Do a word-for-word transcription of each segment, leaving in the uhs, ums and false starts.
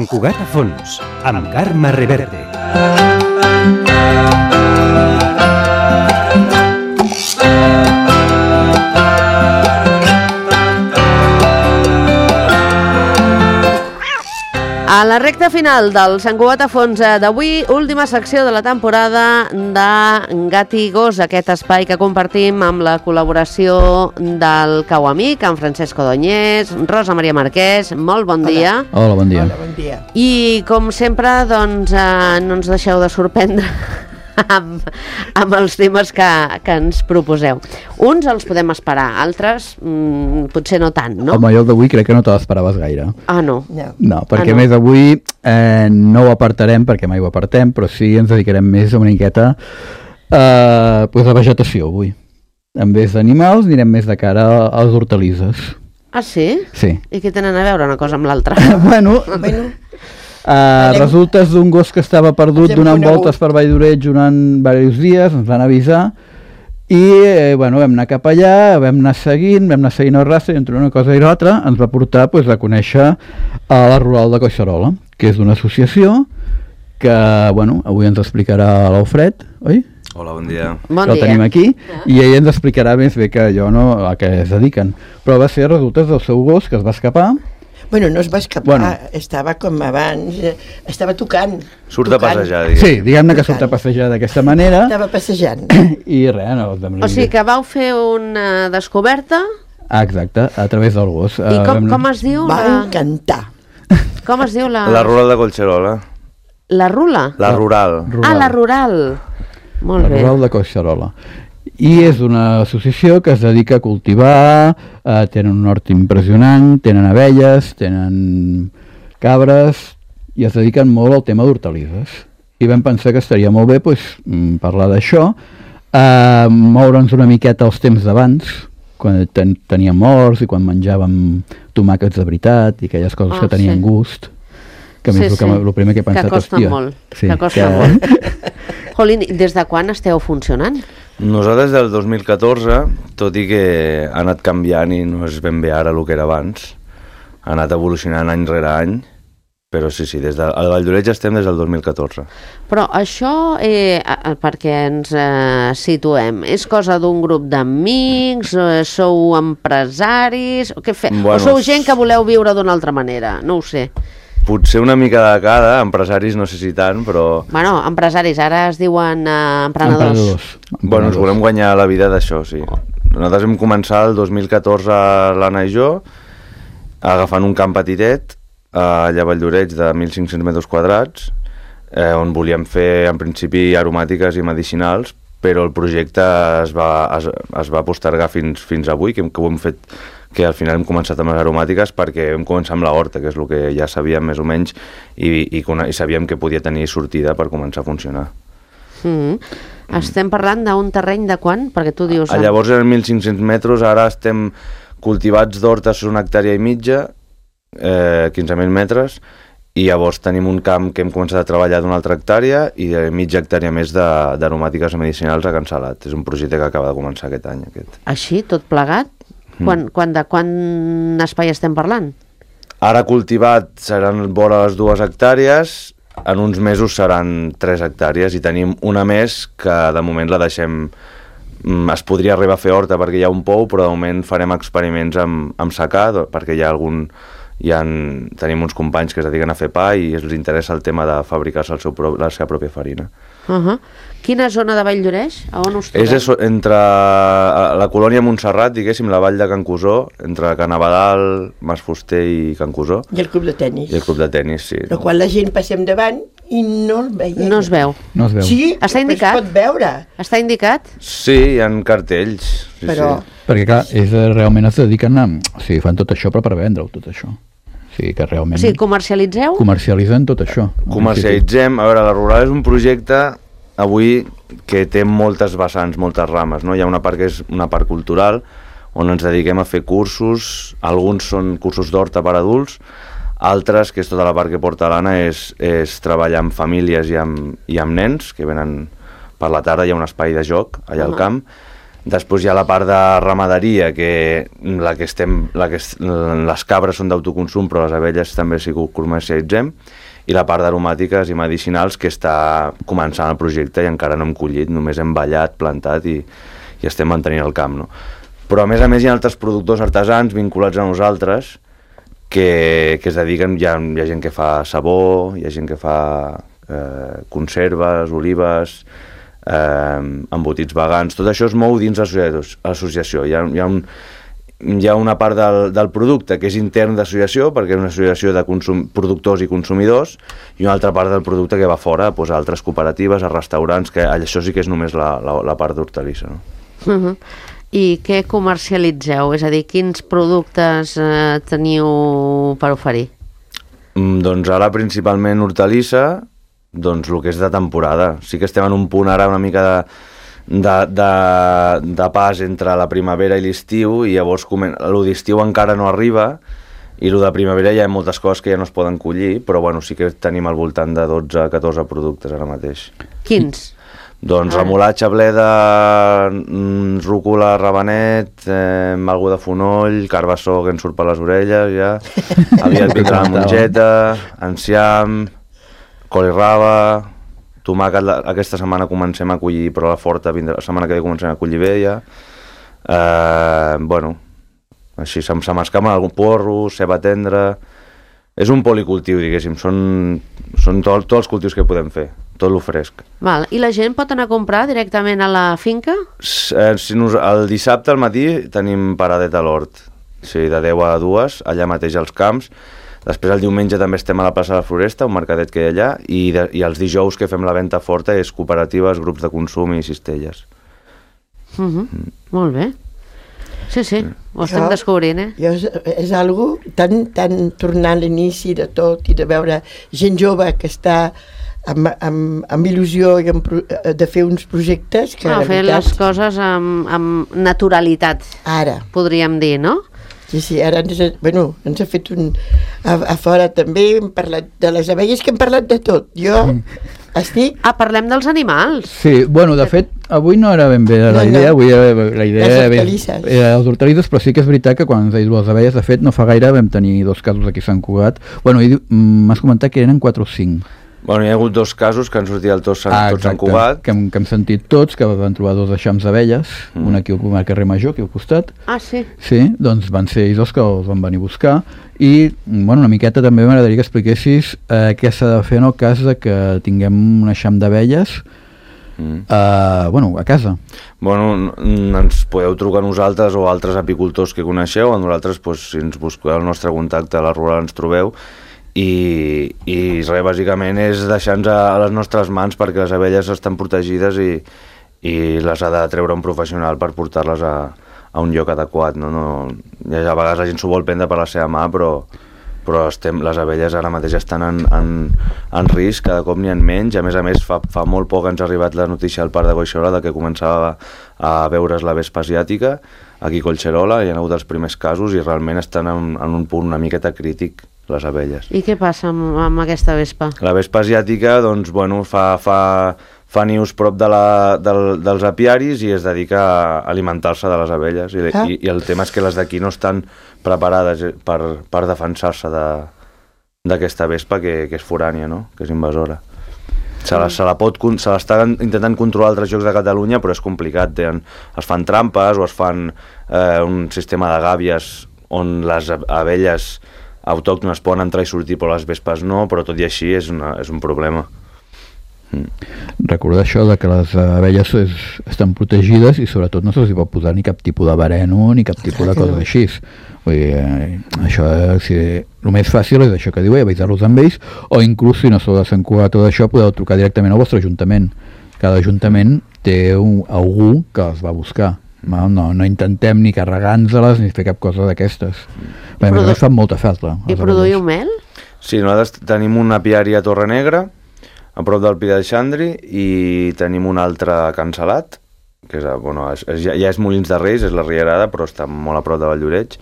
Cugat a fons, amb Carme Reverte. A la recta final del Sant Cugat a fons d'avui, última secció de la temporada de Gat i Gos, aquest espai que compartim amb la col·laboració del Cau Amic, amb Francesc Odoñés, Rosa Maria Marquès. Molt bon Hola. dia. Hola, bon dia. Hola, bon dia. I, com sempre, doncs, eh, no ens deixeu de sorprendre amb, amb els temes que, que ens proposeu. Uns els podem esperar, altres mmm, potser no tant, no? Home, jo d'avui crec que no te l'esperaves gaire. Ah, no. No. No, perquè Ah, no. més avui eh, no ho apartarem, perquè mai ho apartem, però sí ens dedicarem més a una miqueta eh, pues a vegetació avui. En vez d'animals anirem més de cara a les hortalisses. Ah, sí? Sí. I què tenen a veure una cosa amb l'altra? bueno, Bueno, Uh, resultes d'un gos que estava perdut Ens hem donant conegut. voltes per Vall d'Oreig durant diversos dies, ens van avisar i eh, bueno, vam anar cap allà, vam anar seguint, vam anar seguint el rastre i entre una cosa i l'altra ens va portar pues, a conèixer a la Rural de Collserola, que és una associació que bueno, avui ens explicarà l'Alfred, oi? Hola, bon dia. Bon que el dia. tenim aquí, i ell ens explicarà més bé que jo no, a què es dediquen. Però va ser resultes del seu gos que es va escapar. bueno, no es va escapar, Bueno. estava com abans, eh, estava tocant. Surt a tocant. passejar, diguem. Sí, diguem-ne que surt a passejar d'aquesta manera. Estava passejant. I res, no, de... O sigui que vau fer una descoberta Ah, exacte, a través del gos. i com, com es diu Va la... encantar. Com es diu la... La rural de Collserola. La rula? La rural. Ah, la rural. Molt La bé. Rural de Collserola. I és una associació que es dedica a cultivar, eh, tenen un hort impressionant, tenen abelles, tenen cabres, i es dediquen molt al tema d'hortalisses. I vam pensar que estaria molt bé pues, parlar d'això, eh, moure'ns una miqueta els temps d'abans, quan ten teníem horts i quan menjàvem tomàquets de veritat i aquelles coses Ah, que tenien sí. gust, que a mi Sí, és el, que, sí. el primer que he pensat, Que costa hòstia, molt, sí, que costa molt. Jolín, des de quan esteu funcionant? Nosaltres del dos mil catorze, tot i que ha anat canviant i no és ben bé ara el que era abans, ha anat evolucionant any rere any, però sí, sí, des de, al Vall d'Oreig estem des del dos mil catorze. Però això, eh, a- perquè ens eh, situem, és cosa d'un grup d'amics, eh, sou empresaris, o, què fe... Bueno, o sou gent que voleu viure d'una altra manera? No ho sé. Potser una mica de cada, empresaris no sé si tant, però Bueno, empresaris, ara es diuen eh, emprenedors. Emprenedors. bueno, ens volem guanyar la vida d'això, sí. Nosaltres vam començar el dos mil catorze, l'Anna i jo, agafant un camp petitet, allà a Vall d'Oreig de mil cinc-cents metres quadrats, eh, on volíem fer en principi aromàtiques i medicinals, però el projecte es va, es, es va postergar fins, fins avui, que, que ho hem fet, que al final hem començat amb les aromàtiques perquè vam començar amb la horta, que és el que ja sabíem més o menys, i, i, i sabíem que podia tenir sortida per començar a funcionar. Mm. Estem parlant d'un terreny de quan? Perquè tu dius... A llavors eren mil cinc-cents metres, ara estem cultivats d'hortes una hectàrea i mitja, eh, quinze mil metres, i llavors tenim un camp que hem començat a treballar d'una altra hectàrea i de mitja hectàrea més d'aromàtiques medicinals a Can Salat. És un projecte que acaba de començar aquest any. Aquest. Així, tot plegat? Quan, quan, de quan espai estem parlant? Ara cultivat seran vora les dues hectàrees, en uns mesos seran tres hectàrees i tenim una més que de moment la deixem... Es podria arribar a fer horta perquè hi ha un pou, però de moment farem experiments amb, amb secà, perquè hi ha algun... Hi ha, tenim uns companys que es dediquen a fer pa i els interessa el tema de fabricar-se el seu, la seva pròpia farina. Uh -huh. Quina zona de Vall d'Oreig? A on us trobeu? És eso, entre la colònia Montserrat, diguéssim, la vall de Can Cusó, entre Can Abadal, Mas Fuster i Can Cusó, I el club de tennis. i el club de tennis, sí. El qual la gent passem davant i no el veiem. No es veu. No es veu. Sí, Està però indicat? es pot veure. Està indicat? Sí, hi ha cartells. Sí, Però- sí. Perquè clar, és, eh, realment es dediquen a... O sigui, fan tot això però per vendre-ho, tot això. O sigui que realment O sigui, comercialitzeu? comercialitzen tot això. Comercialitzem. A veure, la Rural és un projecte avui que té moltes vessants, moltes rames, no? Hi ha una part que és una part cultural, on ens dediquem a fer cursos, alguns són cursos d'horta per adults, altres, que és tota la part que porta l'Anna, és, és treballar amb famílies i amb, i amb nens, que venen per la tarda, hi ha un espai de joc allà al camp. Després hi ha la part de ramaderia, que, la que estem, la que, les cabres són d'autoconsum, però les abelles també sí que ho comercialitzem. i la part d'aromàtiques i medicinals, que està començant el projecte i encara no hem collit, només hem ballat, plantat i, i estem mantenint el camp, no? Però a més a més hi ha altres productors artesans vinculats a nosaltres que, que es dediquen, hi ha, hi ha gent que fa sabó, hi ha gent que fa eh, conserves, olives, eh, embotits vegans, tot això es mou dins l'associació. Hi ha, hi ha, un, hi ha una part del, del producte que és intern d'associació, perquè és una associació de consum, productors i consumidors, i una altra part del producte que va fora, doncs, a altres cooperatives, a restaurants, que això sí que és només la, la, la part d'hortalissa, no? Uh-huh. I què comercialitzeu? És a dir, quins productes eh, teniu per oferir? Mm, doncs ara principalment hortalissa, doncs el que és de temporada. Sí que estem en un punt ara una mica de, de, de, de pas entre la primavera i l'estiu, i llavors el d'estiu encara no arriba, i el de primavera ja hi ha moltes coses que ja no es poden collir, però bueno, sí que tenim al voltant de dotze a catorze productes ara mateix. Quins? Doncs remolatxa, bleda, rúcula, rabanet, eh, algo de fonoll, carbassó que ens surt per les orelles, ja. Aviat vindrà la mongeta, enciam, col i raba, tomàquet, aquesta setmana comencem a collir, però la forta vindrà, la setmana que ve comencem a collir bé, ja. Eh, bueno, així se, se m'escamen algun porro, ceba tendra. És un policultiu, diguéssim, són, són tot, tots els cultius que podem fer, tot lo fresc. Val. I la gent pot anar a comprar directament a la finca? Eh, si nos, el dissabte al matí tenim paradeta a l'hort, sí, de deu a dues, allà mateix als camps. Després el diumenge també estem a la plaça de la Floresta, un mercadet que hi ha allà, i, de, i els dijous que fem la venda forta és cooperatives, grups de consum i cistelles. Uh -huh. mm. Molt bé. Sí, sí, ho estem Jo- descobrint, eh? Jo és, és algo tan, tan tornant a l'inici de tot i de veure gent jove que està amb, amb, amb il·lusió i amb, pro- de fer uns projectes que Ah, la fer veritat, les coses amb, amb naturalitat, ara, podríem dir, no? sí, sí, ara ens, ha- bueno, ens ha fet un... A, a fora també hem parlat de les abelles, que hem parlat de tot. Jo estic... Ah, parlem dels animals. Sí, bueno, de fet, avui no era ben bé la No, idea, no. avui era, la idea Les era, hortalisses. era les hortalisses, però sí que és veritat que quan ens ha dit les abelles, de fet, no fa gaire vam tenir dos casos aquí a Sant Cugat. Bueno, i diu- mm, m'has comentat que eren quatre o cinc. Bueno, hi ha hagut dos casos que han sortit al tot Sant, Ah, tot Sant exacte, Cugat. que hem, que hem sentit tots, que van trobar dos eixams d'abelles, mm. un aquí al carrer Major, aquí al costat. Ah, sí. Sí, doncs van ser ells els que els van venir a buscar. I, bueno, una miqueta també m'agradaria que expliquessis eh, què s'ha de fer en el cas de que tinguem un eixam d'abelles Mm. eh, bueno, a casa. Bueno, n- ens podeu trucar a nosaltres o a altres apicultors que coneixeu, a nosaltres, doncs, si ens busqueu el nostre contacte a la Rural ens trobeu, i, i res, bàsicament és deixar-nos a, a les nostres mans, perquè les abelles estan protegides i, i les ha de treure un professional per portar-les a, a un lloc adequat, no? No, ja a vegades la gent s'ho vol prendre per la seva mà, però, però estem, les abelles ara mateix estan en, en, en risc, cada cop n'hi ha menys. A més a més, fa, fa molt poc ens ha arribat la notícia al Parc de Collserola de que començava a veure's la vespa asiàtica aquí a Collserola, hi ha hagut els primers casos i realment estan en, en un punt una miqueta crític les abelles. I què passa amb, amb aquesta vespa? La vespa asiàtica, doncs, bueno, fa, fa, fa nius prop de la, del, dels apiaris i es dedica a alimentar-se de les abelles. I, Ah. i, i el tema és que les d'aquí no estan preparades per, per defensar-se de- d'aquesta vespa que, que és forània, no? Que és invasora. Se la, se la pot, con- se l'està intentant controlar altres llocs de Catalunya, però és complicat. Tenen, es fan trampes o es fan eh, un sistema de gàbies on les ab- abelles autòctones poden entrar i sortir, però les vespes no, però tot i així és, una, és un problema. Recordar això de que les abelles és, estan protegides i sobretot no se'ls hi pot posar ni cap tipus de veneno ni cap tipus de cosa així. Vull dir, eh, això, eh, si, el més fàcil és això que diu, avisar-los amb ells, o inclús si no sou de Sant Cugat tot això, podeu trucar directament al vostre ajuntament. Cada ajuntament té un, algú que els va buscar. No, no, no intentem ni carregar-nos-les ni fer cap cosa d'aquestes. Bé, a més a Produ- més fan molta falta. I les produïu abelles. mel? Sí, nosaltres tenim un apiari a Torre Negra, a prop del Pi de Xandri, i tenim un altre a Can Salat, que és, a- bueno, és, és, ja, ja és Molins de Reis, és la Rierada, però està molt a prop de Valldoreix,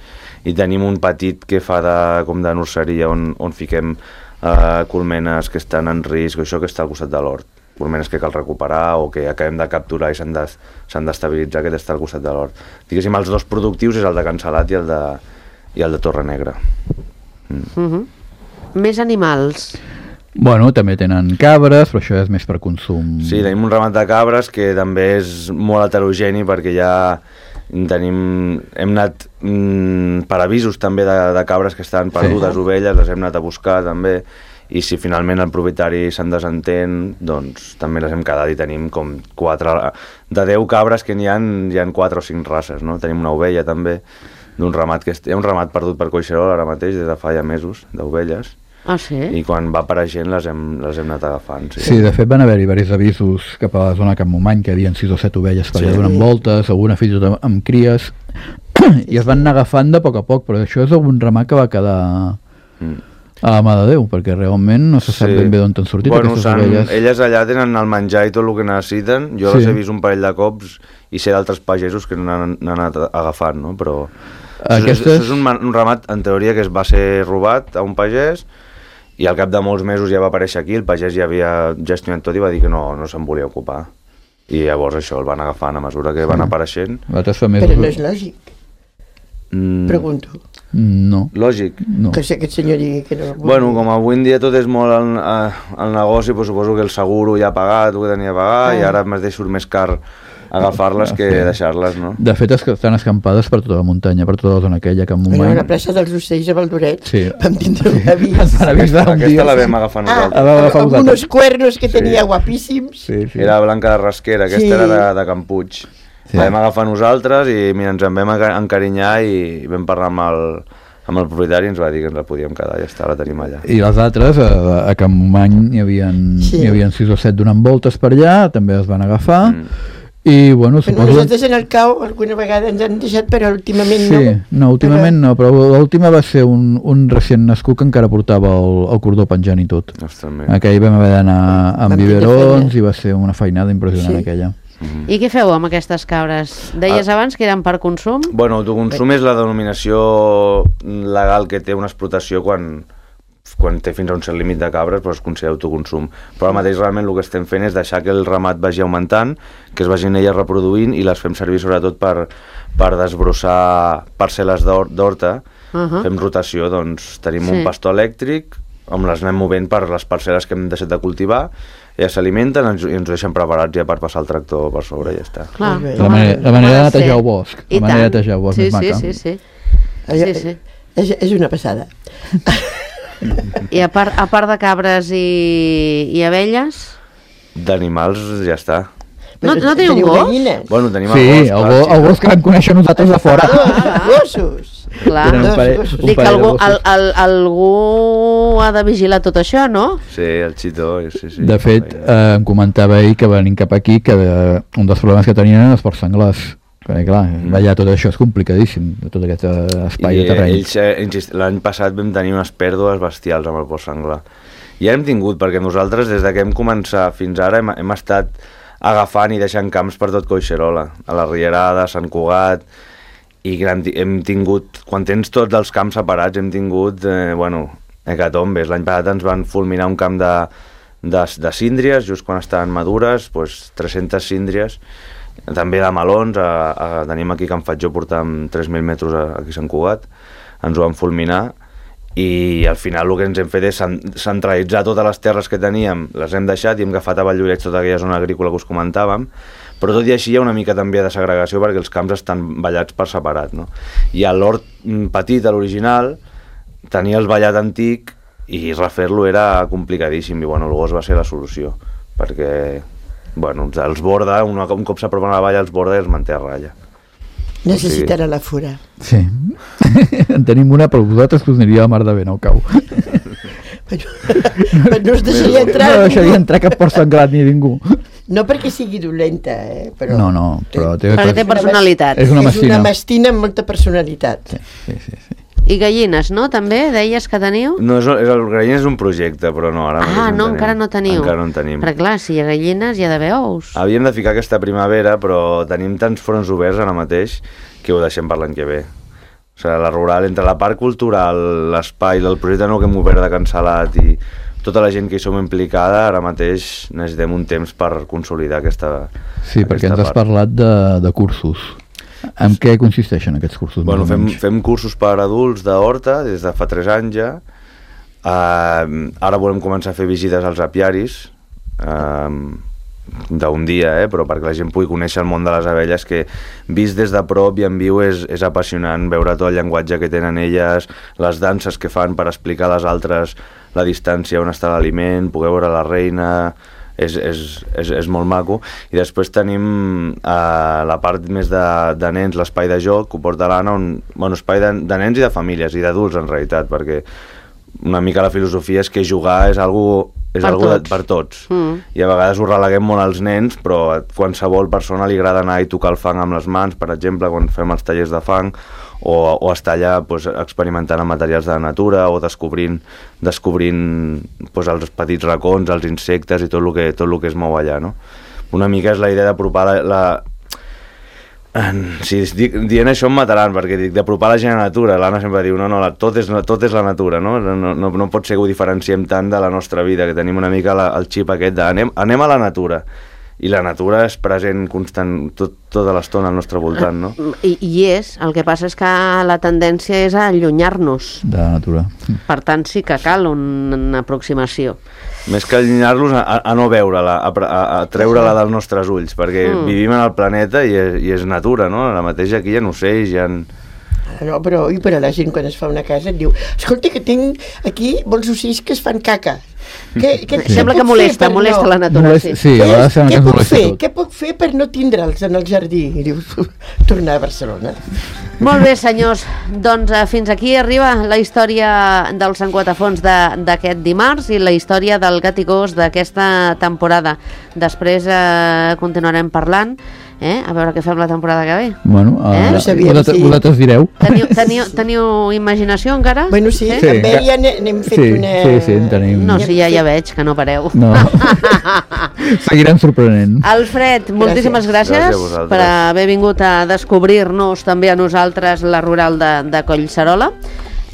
i tenim un petit que fa de, com de nurseria on, on fiquem eh, colmenes que estan en risc, això que està al costat de l'hort, colmenes que cal recuperar o que acabem de capturar i s'han de, s'han d'estabilitzar, que està al costat de l'hort. Diguéssim, els dos productius és el de Can Salat i el de, i el de Torre Negra. Uh -huh. Més animals. Bueno, també tenen cabres, però això és més per consum. Sí, tenim un ramat de cabres que també és molt heterogeni perquè ja tenim, hem anat mm, per avisos també de, de cabres que estan perdudes, sí. Ovelles, les hem anat a buscar també, i si finalment el propietari se'n desentén, doncs també les hem quedat i tenim com quatre, de deu cabres que n'hi ha, hi ha quatre o cinc races, no? Tenim una ovella també, d'un ramat que hi ha un ramat perdut per Collserola ara mateix, des de fa ja mesos, d'ovelles. Ah, sí? I quan va apareixent les hem, les hem anat agafant. Sí, sí, de fet van haver-hi diversos avisos cap a la zona Camp Momany, que hi havia sis o set ovelles per allà sí. donant voltes, alguna fins i tot amb, amb cries, i es van anar agafant de poc a poc, però això és algun ramat que va quedar mm. a la mà de Déu, perquè realment no se sap sí. ben bé d'on t'han sortit bueno, aquestes ovelles. Elles allà tenen el menjar i tot el que necessiten, jo sí. les he vist un parell de cops i sé d'altres pagesos que n'han anat agafant, no? Però Aquestes... això és un, un ramat, en teoria, que es va ser robat a un pagès, i al cap de molts mesos ja va aparèixer aquí, el pagès ja havia gestionat tot i va dir que no, no se'n volia ocupar. I llavors això el van agafant a mesura que sí. van apareixent. Però no és lògic. Mm. Pregunto. No. Lògic. No. Que si aquest senyor digui que no... Bueno, com avui en dia tot és molt el, el negoci, doncs suposo que el seguro ja ha pagat, el que tenia a pagar, ah. i ara m'has de surt més car agafar-les que sí. deixar-les, no? De fet, estan escampades per tota la muntanya, per tota la zona aquella, que en un moment... A la plaça dels Ocells a Valdoret sí. vam tindre un avís. Aquesta, aquesta la vam agafar nosaltres. Ah, amb uns cuernos que sí. tenia guapíssims. Sí, sí. Era Blanca de Rasquera, aquesta sí. era de, de Can Puig. Sí. La vam agafar nosaltres i mira, ens en vam encarinyar i vam parlar amb el, amb el propietari i ens va dir que ens la podíem quedar, ja està, la tenim allà. I les altres, a, a Can Momany hi havia, sí. hi havia sis o set donant voltes per allà, també es van agafar. Mm. I, bueno, suposo... Però nosaltres en el cau alguna vegada ens han deixat, però últimament sí, no. Sí, no, últimament però... no, però l'última va ser un, un recient nascut que encara portava el, el cordó penjant i tot. Ostres, aquell vam haver d'anar amb biberons i va ser una feinada impressionant sí. aquella. Mm-hmm. I què feu amb aquestes cabres? Deies ah. abans que eren per consum? Bueno, autoconsum és la denominació legal que té una explotació quan... quan té fins a un cert límit de cabres doncs es considera autoconsum, però ara mateix realment el que estem fent és deixar que el ramat vagi augmentant, que es vagin elles reproduint i les fem servir sobretot per, per desbrossar parcel·les d'horta, uh-huh. fem rotació, doncs tenim sí. un pastor elèctric on les anem movent per les parcel·les que hem deixat de cultivar, elles s'alimenten i ens ho deixen preparats ja per passar el tractor per sobre i ja està. Clar. La manera, la manera de netejar el bosc, la manera de netejar el bosc sí, més sí, maca. sí, sí, sí. sí, sí. És, és una passada. I a part, a part de cabres i, i abelles? D'animals ja està. No, no teniu gos? Bueno, tenim sí, el gos. el gos, el gos que vam conèixer nosaltres de fora. Ah, gossos! Clar. Un parell, un Dic, algú, al, al, algú ha de vigilar tot això, no? Sí, el xitó, sí, sí. De fet, eh, em comentava ell que venint cap aquí que eh, un dels problemes que tenien eren els porcs senglars. Perquè clar, mm. allà tot això és complicadíssim, tot aquest espai I, de terreny. Ells, l'any passat vam tenir unes pèrdues bestials amb el porc senglar. I hem tingut, perquè nosaltres des de que hem començat fins ara hem, hem estat agafant i deixant camps per tot Collserola, a la Rierada, a Sant Cugat, i hem tingut, quan tens tots els camps separats, hem tingut, eh, bueno, hecatombes. L'any passat ens van fulminar un camp de, de, de síndries, just quan estaven madures, doncs tres-centes síndries, també de melons, a, a, tenim aquí Can Fatjó, portàvem tres mil metres aquí a Sant Cugat, ens ho van fulminar i al final el que ens hem fet és centralitzar totes les terres que teníem, les hem deixat i hem agafat a Valldoreix tota aquella zona agrícola que us comentàvem, però tot i així hi ha una mica també de segregació perquè els camps estan ballats per separat, no? I a l'hort petit, a l'original, tenia el ballat antic i refer-lo era complicadíssim i bueno, el gos va ser la solució, perquè... Bueno, els borda, un, un cop s'apropen a la valla els borda i els manté a ratlla. Necessitarà o sigui... la fura. Sí. En tenim una, però vosaltres que us aniria a la mar de bé, no cau. Però, però no us deixaria entrar... No deixaria entrar cap porc senglar ni ningú. No perquè sigui dolenta, eh? Però no, no, però... Té, perquè té personalitat. És una mastina. És una mastina amb molta personalitat. Sí, sí, sí. sí. I gallines, no? També deies que teniu? No, és, és, el gallines és un projecte, però no, ara ah, no, en encara no teniu. Encara no en tenim. Però clar, si hi ha gallines hi ha d'haver ous. Havíem de ficar aquesta primavera, però tenim tants fronts oberts ara mateix que ho deixem per l'any que ve. O sigui, la rural, entre la part cultural, l'espai, el projecte nou que hem obert de Can Salat i tota la gent que hi som implicada, ara mateix necessitem un temps per consolidar aquesta Sí, aquesta perquè ens part. Has parlat de, de cursos. En què consisteixen aquests cursos? Bueno, fem, fem cursos per adults d'horta des de fa tres anys ja. Uh, ara volem començar a fer visites als apiaris, uh, d'un dia, eh? Però perquè la gent pugui conèixer el món de les abelles, que vist des de prop i en viu és, és apassionant veure tot el llenguatge que tenen elles, les danses que fan per explicar a les altres la distància on està l'aliment, poder veure la reina, és, és, és, és molt maco. I després tenim eh, la part més de, de nens, l'espai de joc, que ho porta l'Anna, un bueno, espai de, de nens i de famílies, i d'adults en realitat, perquè una mica la filosofia és que jugar és algo és per algo tots, de, per tots. Mm. I a vegades ho releguem molt als nens, però a qualsevol persona li agrada anar i tocar el fang amb les mans, per exemple, quan fem els tallers de fang, o, o estar allà pues, experimentant amb materials de la natura, o descobrint, descobrint pues, els petits racons, els insectes i tot el que, tot el que es mou allà, no? Una mica és la idea d'apropar la... la Si dic, dient això em mataran, perquè dic d'apropar la gent a la natura. L'Anna sempre diu, no, no, la, tot, és, tot és la natura, no? No, no, no pot ser que ho diferenciem tant de la nostra vida, que tenim una mica la, el xip aquest de anem, anem a la natura. I la natura és present constant tot, tota l'estona al nostre voltant, no? I, I és, el que passa és que la tendència és a allunyar-nos. De la natura. Per tant, sí que cal una aproximació. Més que allunyar-los, a, a no veure-la, a, a, a treure-la dels nostres ulls, perquè mm. vivim en el planeta i és, i és natura, no? La mateixa aquí hi ha ocells, hi ha... No, però, i per a la gent quan es fa una casa et diu, escolta que tinc aquí molts ocells que es fan caca. Que, que, sí. Sembla que molesta, molesta no? la natura. Molest, sí, sí a vegades sembla que puc fer? tot. Què puc fer per no tindre'ls en el jardí? I dius, tornar a Barcelona. Molt bé, senyors. Doncs uh, fins aquí arriba la història del Sant Guatafons d'aquest dimarts i la història del gat i gos d'aquesta temporada. Després uh, continuarem parlant. Eh? A veure què fem la temporada que ve. Bueno, uh, eh? no sabíem, vosaltres, sí. vosaltres direu. Teniu, teniu, teniu imaginació encara? Bueno, sí, eh? sí. també ja n'hem fet sí, una... Sí, sí, en tenim. No, sí, ja, ja veig que no pareu. No. Seguirem sorprenent. Alfred, moltíssimes gràcies, gràcies per haver vingut a descobrir-nos també a nosaltres la rural de, de Collserola.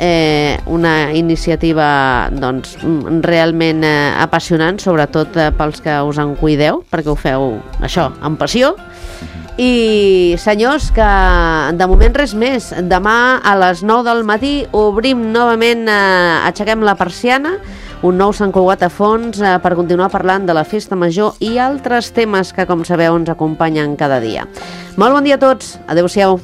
Eh, una iniciativa doncs, realment eh, apassionant, sobretot eh, pels que us en cuideu, perquè ho feu això, amb passió. I senyors, que de moment res més. Demà a les nou del matí obrim novament, eh, aixequem la persiana, un nou Sant Cugat a fons eh, per continuar parlant de la festa major i altres temes que, com sabeu, ens acompanyen cada dia. Molt bon dia a tots, adeu-siau.